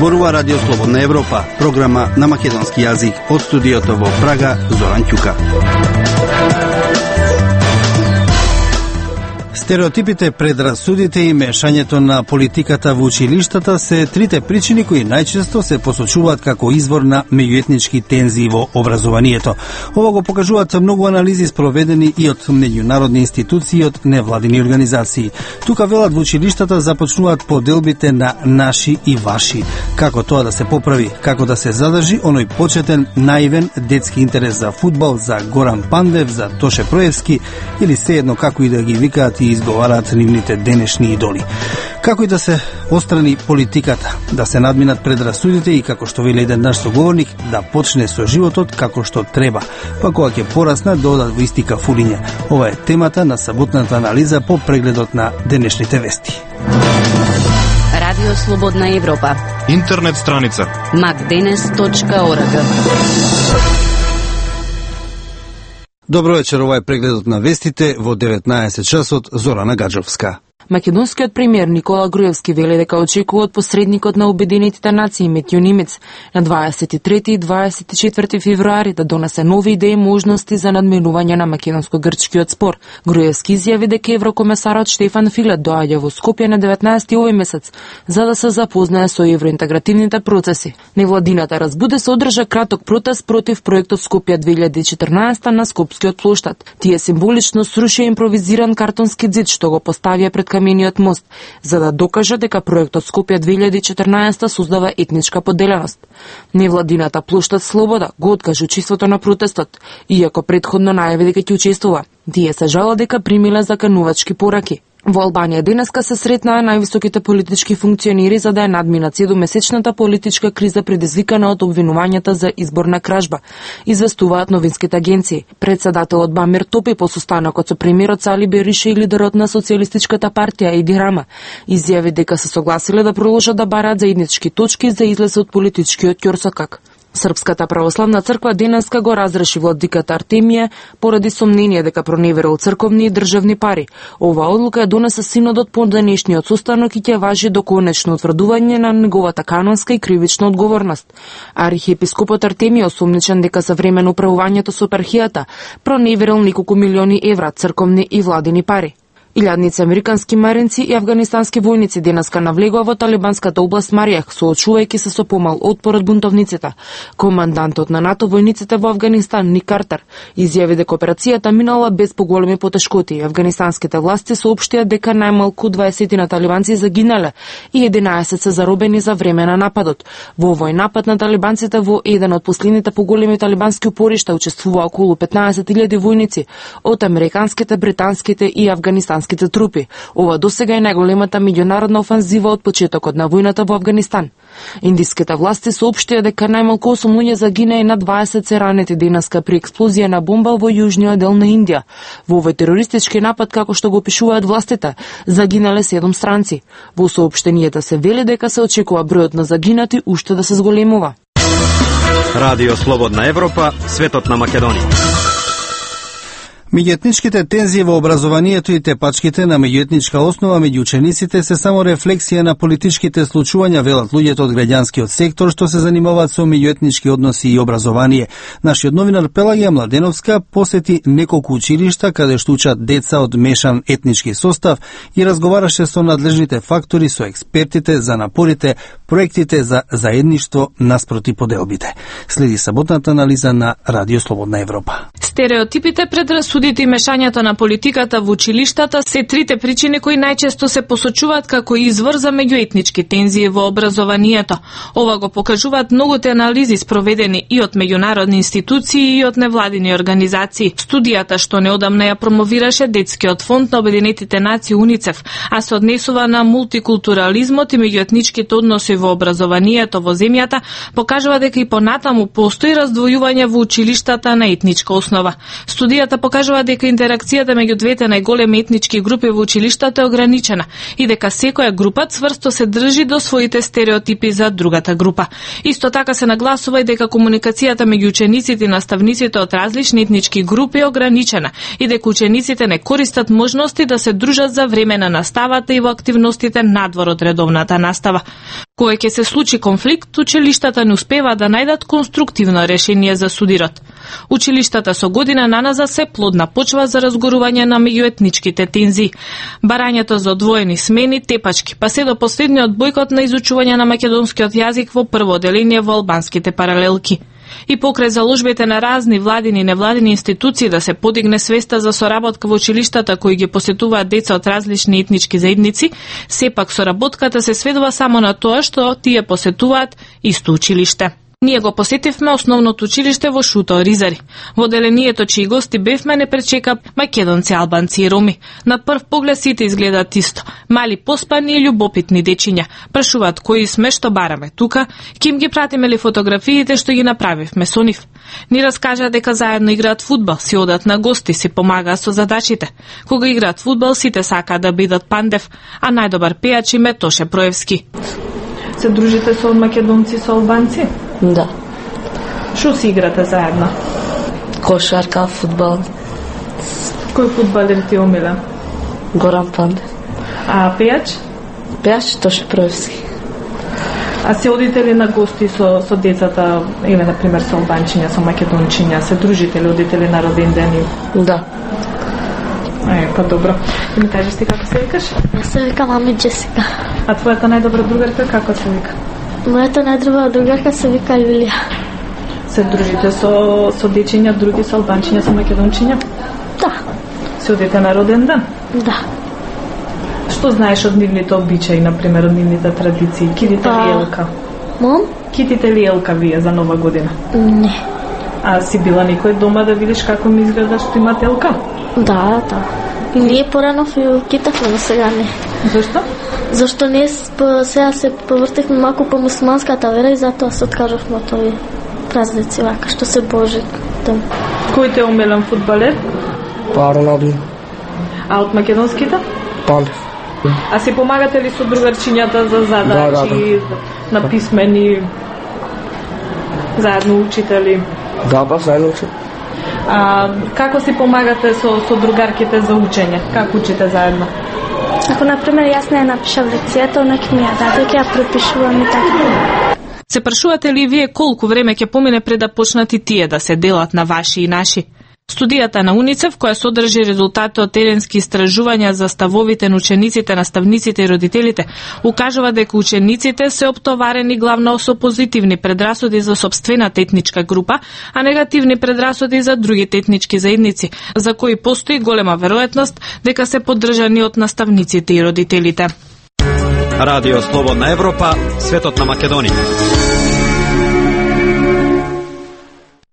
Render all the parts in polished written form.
Зборува Радио Слободна Европа, програма на македонски јазик од студиото во Прага, Зоран Ќука. Стереотипите, предрасудите и мешањето на политиката во училиштата се трите причини кои најчесто се посочуваат како извор на меѓуетнички тензии во образованието. Ова го покажуваат многу анализи спроведени и од меѓународни институции и од невладини организации. Тука велат во училиштата започнуваат поделбите на наши и ваши. Како тоа да се поправи, како да се задржи оној почетен наивен детски интерес за фудбал, за Горан Пандев, за Тоше Проевски или сеедно како и да ги викаат и изговараат нивните денешни идоли. Како и да се острани политиката, да се надминат предрасудите и како што вели еден наш соговорник, да почне со животот како што треба, па кога ќе пораснат да одат во исти кафулиња. Ова е темата на саботната анализа по прегледот на денешните вести. Радио Слободна Европа. Интернет страница macdenes.org. Добро вечер, ова е прегледот на вестите во 19 часот. Зорана Гаджовска. Македонскиот премиер Никола Груевски вели дека очекува од посредникот на Обединетите нации Метју Нимец на 23 и 24 февруари да донесе нови идеи и можности за надминување на македонско-грчкиот спор. Груевски изјави дека еврокомесарот Штефан Филе доаѓа во Скопје на 19 овој месец за да се запознае со евроинтегративните процеси. Невладината Разбуде се одржа краток протест против проектот Скопје 2014 на Скопскиот плоштад. Тие символично срушија импровизиран картонски ѕид што го поставија пред камениот мост, за да докажа дека проектот Скопје 2014 создава етничка поделеност. Невладината плоштад Слобода го откажа учеството на протестот, иако предходно најави дека ќе учествува. Тие се жала дека примиле заканувачки пораки. Во Албанија денеска се сретнаа највисоките политички функционери за да ја надминат 7-месечната политичка криза предизвикана од обвинувањата за изборна кражба, известуваат новинските агенции. Председателот Бамир Топи по состанокот со премиерот Сали Бериша и лидерот на Социјалистичката партија Еди Рама изјави дека се согласиле да продолжат да бараат заеднички точки за излез од политичкиот ќорсокак. Српската православна црква денеска го разреши владиката Артемија поради сомнение дека проневерил црковни и државни пари. Ова одлука ја донесе синодот по денешниот состанок и ќе важи до конечно утврдување на неговата канонска и кривична одговорност. Архиепископот Артемија осомничен дека за време на управувањето со епархијата проневерил неколку милиони евра црковни и владини пари. Илјадници американски маринци и афганистански војници денеска навлегува во талибанската област Маријах, соочувајќи се со помал отпор од бунтовниците. Командантот на НАТО војниците во Афганистан, Ник Картер, изјави дека операцијата минала без поголеми потешкоти. Афганистанските власти соопштија дека најмалку 20 на талибанци загинале и 11 се заробени за време на нападот. Во овој напад на талибанците во еден од последните поголеми талибански упоришта учествува околу 15.000 војници од американските, британските и афганистанските трупи. Ова досега е најголемата меѓународна офанзива од почетокот на војната во Афганистан. Индиските власти соопштија дека најмалку 8 луѓе загина и над 20 се ранети денеска при експлозија на бомба во јужниот дел на Индија. Во овој терористички напад, како што го опишуваат властите, загинале 7 странци. Во соопштенијата се вели дека се очекува бројот на загинати уште да се зголемува. Радио Слободна Европа, светот на Македонија. Меѓуетничките тензии во образованието и тепачките на меѓуетничка основа меѓу учениците се само рефлексија на политичките случувања, велат луѓето од граѓанскиот сектор што се занимаваат со меѓуетнички односи и образование. Нашиот новинар Пелагија Младеновска посети неколку училишта каде што учат деца од мешан етнички состав и разговараше со надлежните фактори, со експертите за напорите, проектите за заедништво наспроти поделбите. Следи саботната анализа на Радио Слободна Европа. Стереотипите, предрасудите и мешањето на политиката во училиштата се трите причини кои најчесто се посочуваат како извор за меѓуетнички тензии во образованието. Ова го покажуваат многуте анализи спроведени и од меѓународни институции и од невладини организации. Студијата што неодамна ја промовираше Детскиот фонд на Обединетите нации УНИЦЕФ, а се однесува на мултикултурализмот и меѓуетничките односи во образованието во земјата, покажува дека и понатаму постои раздвојување во училиштата на етничка основа. Студијата покажува дека интеракцијата меѓу двете најголеми етнички групи во училиштата е ограничена и дека секоја група цврсто се држи до своите стереотипи за другата група. Исто така се нагласува и дека комуникацијата меѓу учениците и наставниците од различни етнички групи е ограничена и дека учениците не користат можности да се дружат за време на наставата и во активностите надвор од редовната настава. Кога ќе се случи конфликт, училиштата не успева да најдат конструктивно решение за судирот. Училиштата со година наназад се плодна почва за разгорување на меѓуетничките тензии, барањето за одвоени смени, тепачки, па се до последниот бојкот на изучување на македонскиот јазик во прво одделение во албанските паралелки. И покрај заложбите на разни владини и невладини институции да се подигне свеста за соработка во училиштата кои ги посетуваат деца од различни етнички заедници, сепак соработката се сведува само на тоа што тие посетуваат исто училиште. Ние го посетивме основното училиште во Шуто, Ризари. Во одделението чии гости бевме не пречека македонци, албанци и роми. На прв поглед сите изгледаат исто. Мали, поспани и љубопитни дечиња. Прашуваат кои сме, што бараме тука, ќе им ги пратиме ли фотографиите што ги направивме со нив. Ни раскажа дека заедно играат фудбал, си одат на гости, си помагаат со задачите. Кога играат фудбал, сите сакаат да бидат Пандев, а најдобар пејач им е Тоше Проевски. Се дружите со македонци, со албанци? Да. Што си играте заедно? Кошарка, фудбал. Кој фудбалер ти омилен? Горан Пандев. А пејач? Пејач Тоше Проевски. А се одите ли на гости со децата, или например со албанчиња, со македончиња, се дружите ли, одите ли на роден ден? Да. Па добро. И ми кажеш ти како се викаш? Се вика мами Джесика. А твојата најдобра другарка како се вика? Мојата најдобра другарка се вика Јулија. Се дружите со дечиња, други со албанчиња, со македончиња? Да. Се одите на роден ден? Да. Што знаеш од нивните обичаи, например, од нивните традиции? Кидите ли елка? Мом? Кидите ли елка вие за Нова година? Не. А си била никој дома да видиш како ми изгледа што имат елка? Да. Ние порано китавме, но сега не. Зошто? Зашто ние сега се повртевме малку по мусманската вера и затоа се откажавме од овие празници, вака што се Божи дом. Кој те омилен фудбалер? Роналдино. А од македонските? Пандев. А си помагате ли со другарчињата за задачи, на писмени, заедно учите ли? Да, заедно учим. А како си помагате со другарките за учење? Како учите заедно? Ако, например, јас не напишав лекцијата, она ќе ми ја даде, ќе ја препишувам и така. Се прашувате ли вие колку време ќе помине пред да почнат и тие да се делат на ваши и наши? Студијата на УНИЦЕФ, која содржи резултати од теренски истражувања за ставовите на учениците, наставниците и родителите, укажува дека учениците се оптоварени главно со позитивни предрасуди за сопствената етничка група, а негативни предрасуди за другите етнички заедници, за кои постои голема веројатност дека се поддржани од наставниците и родителите. Радио Слободна Европа, светот на Македонија.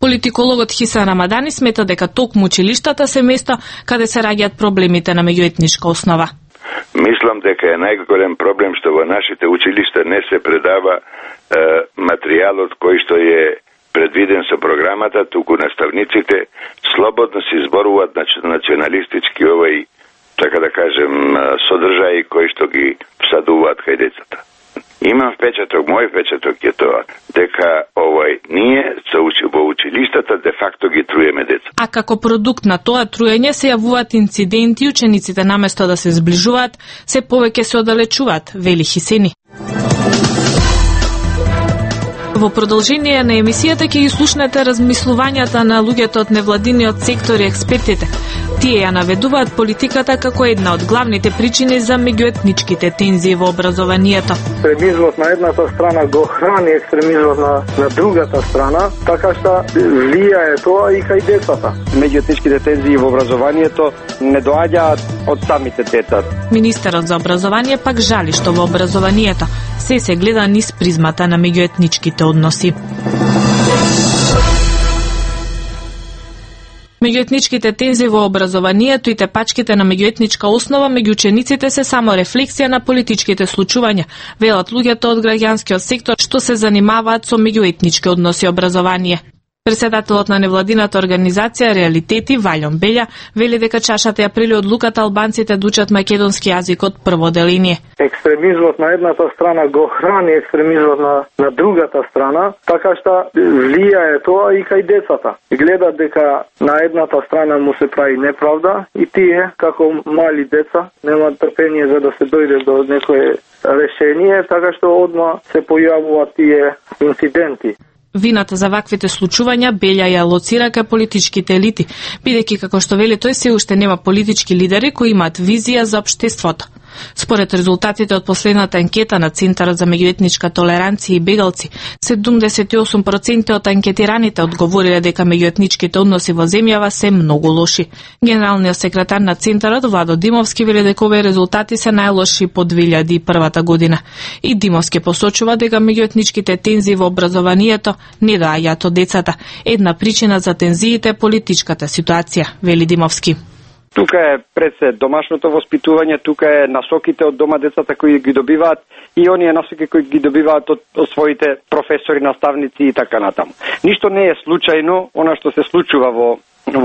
Политикологот Хисан Рамадани смета дека токму училиштата се место каде се раѓаат проблемите на меѓуетничка основа. Мислам дека е најголем проблем што во нашите училишта не се предава материјалот кој што е предвиден со програмата, туку наставниците слободно се изборуваат на националистички така да кажем, содржаи кои што ги всадуваат кај децата. Имам впечаток, мој впечаток е тоа, дека ние во училиштата де факто ги труеме деца. А како продукт на тоа труење се јавуваат инциденти, учениците наместо да се зближуваат, се повеќе се оддалечуваат, вели Хисени. Во продолжение на емисијата ќе ги слушнете размислувањата на луѓето од невладиниот сектор и експертите. Тие ја наведуваат политиката како една од главните причини за меѓуетничките тензии во образованието. Екстремизмот на едната страна го храни екстремизмот на другата страна, така што влијае тоа и кај децата. Меѓуетничките тензии во образованието не доаѓаат од самите деца. Министерот за образование пак жали што во образованието се гледа низ призмата на меѓуетничките односи. Меѓуетничките тензии во образованието и тепачките на меѓуетничка основа меѓу учениците се само рефлексија на политичките случувања, велат луѓето од граѓанскиот сектор што се занимаваат со меѓуетнички односи и образование. Председателот на невладината организација Реалитети Валјон Белја вели дека чашата ја прели одлуката албанците да учат македонски јазик од прво деление. Екстремизмот на едната страна го храни екстремизмот на другата страна, така што влијае тоа и кај децата. Гледат дека на едната страна му се прави неправда и тие, како мали деца, немаат трпение за да се дојде до некое решение, така што одма се појавуваат тие инциденти. Вината за ваквите случувања Белја ја лоцира кај политичките елити, бидејќи како што вели тој се уште нема политички лидери кои имаат визија за општеството. Според резултатите од последната анкета на Центарот за меѓуетничка толеранција и бегалци, 78% од анкетираните одговориле дека меѓуетничките односи во земјава се многу лоши. Генералниот секретар на Центарот Владо Димовски вели дека овие резултати се најлоши по 2001 година. И Димовски посочува дека меѓуетничките тензии во образованието не доаѓаат од децата. Една причина за тензиите е политичката ситуација, вели Димовски. Тука е пред се домашното воспитување, тука е насоките од дома децата кои ги добиваат и оние насоки кои ги добиваат од своите професори, наставници и така натаму. Ништо не е случајно она што се случува во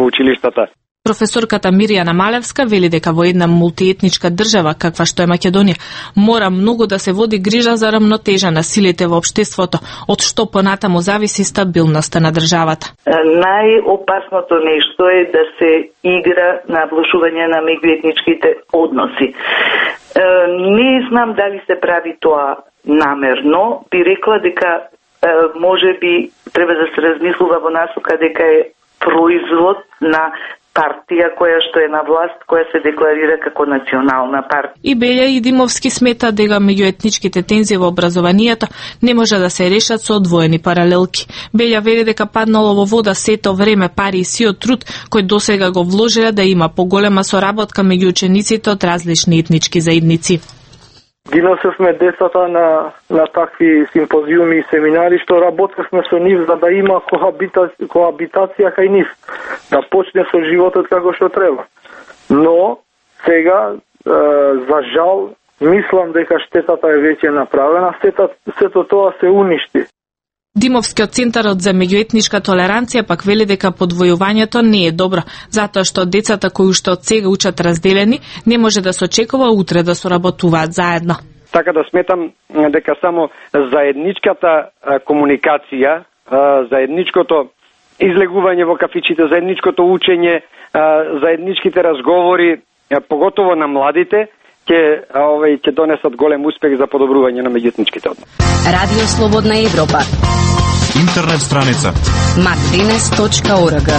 училиштата. Професорката Мирјана Малевска вели дека во една мултиетничка држава, каква што е Македонија, мора многу да се води грижа за рамнотежа на силите во општеството, од што понатаму зависи стабилноста на државата. Најопасното нешто е да се игра на влошување на меѓуетничките односи. Не знам дали се прави тоа намерно, би рекла дека може би треба да се размислува во насока дека е производ на партија која што е на власт, која се декларира како национална партија. И Белја и Димовски смета дека меѓуетничките тензии во образованието не може да се решат со одвоени паралелки. Белја вели дека паднало во вода сето време, пари и сиот труд кој досега го вложиле да има поголема соработка меѓу учениците од различни етнички заедници. Ги носевме децата на такви симпозиуми и семинари што работевме со нив за да има коабитација кај нив, да почне со животот како што треба. Но сега за жал мислам дека штетата е веќе направена, сето тоа се уништи. Димовскиот Центарот за меѓуетничка толеранција пак вели дека подвојувањето не е добро, затоа што децата кои уште од сега учат разделени, не може да се очекува утре да соработуваат заедно. Така да сметам дека само заедничката комуникација, заедничкото излегување во кафичите, заедничкото учење, заедничките разговори, поготово на младите, ќе донесат голем успех за подобрување на меѓуетничките односи. Радио Слободна Европа. Интернет страница macdenes.org.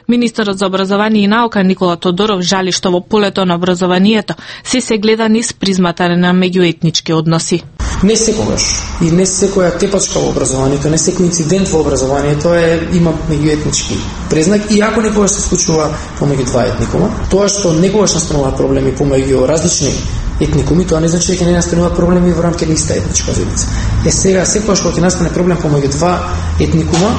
Министерот за образование и наука Никола Тодоров жали што во полето на образованието се гледа низ призмата на меѓуетнички односи. Не секогаш и не секоја тепачка во образованието, не секој инцидент во образованието има меѓуетнички признак, и ако некогаш се случува помеѓу два етникума, тоа што некогаш настануваат проблеми помеѓу различни етникуми, тоа не значи дека не настануваат проблеми во рамките на иста етничка заедница. Сега секогаш кога ќе настане проблем помеѓу два етникума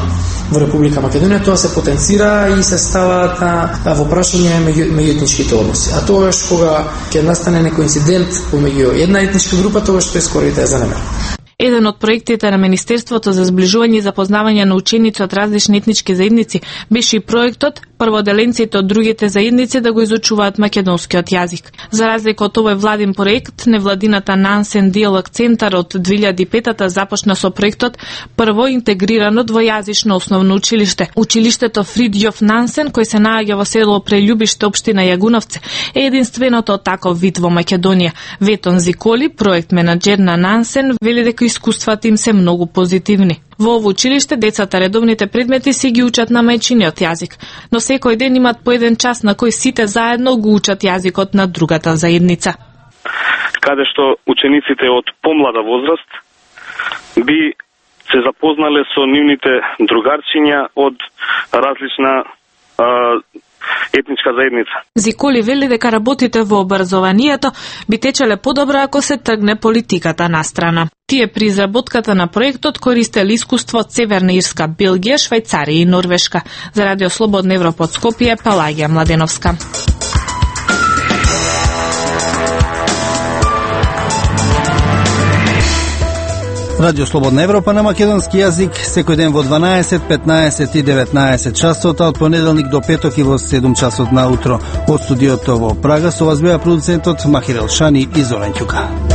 во Република Македонија, тоа се потенцира и се става во прашање меѓуетничките односи. А тогаш кога ќе настане некој инцидент помеѓу една етничка група, тогаш тој скоро и да е занемарен. Еден од проектите на Министерството за зближување и запознавање на ученици од различни етнички заедници беше и проектот прводеленците од другите заедници да го изучуваат македонскиот јазик. За разлика од овој владин проект, невладината Нансен Диалог Центар од 2005-та започна со проектот прво интегрирано двојазично основно училиште. Училиштето Фридјоф Нансен, кој се наоѓа во село Прелюбиште, општина Јагуновце, е единственото од таков вид во Македонија. Ветон Зиколи, проект менаџер на Нансен, вели дека искуствата им се многу позитивни. Во ово училиште децата редовните предмети си ги учат на мајчиниот јазик, но секој ден имат по еден час на кој сите заедно го учат јазикот на другата заедница. Каде што учениците од помлада возраст би се запознале со нивните другарчиња од различна етничка заедница. Зиколи вели дека работите во образованието би течеле подобро ако се тргне политиката настрана. Тие при изработката на проектот користеле искуство од Северна Ирска, Белгија, Швајцарија и Норвешка. За Радио Слободна Европа од Скопје, Пелагија Младеновска. Радио Слободна Европа на македонски јазик секој ден во 12, 15 и 19 часот, од понеделник до петок и во 7 часот на утро. Од студиото во Прага со вас беа продуцентот Махир Елшани и Зоран Ќука.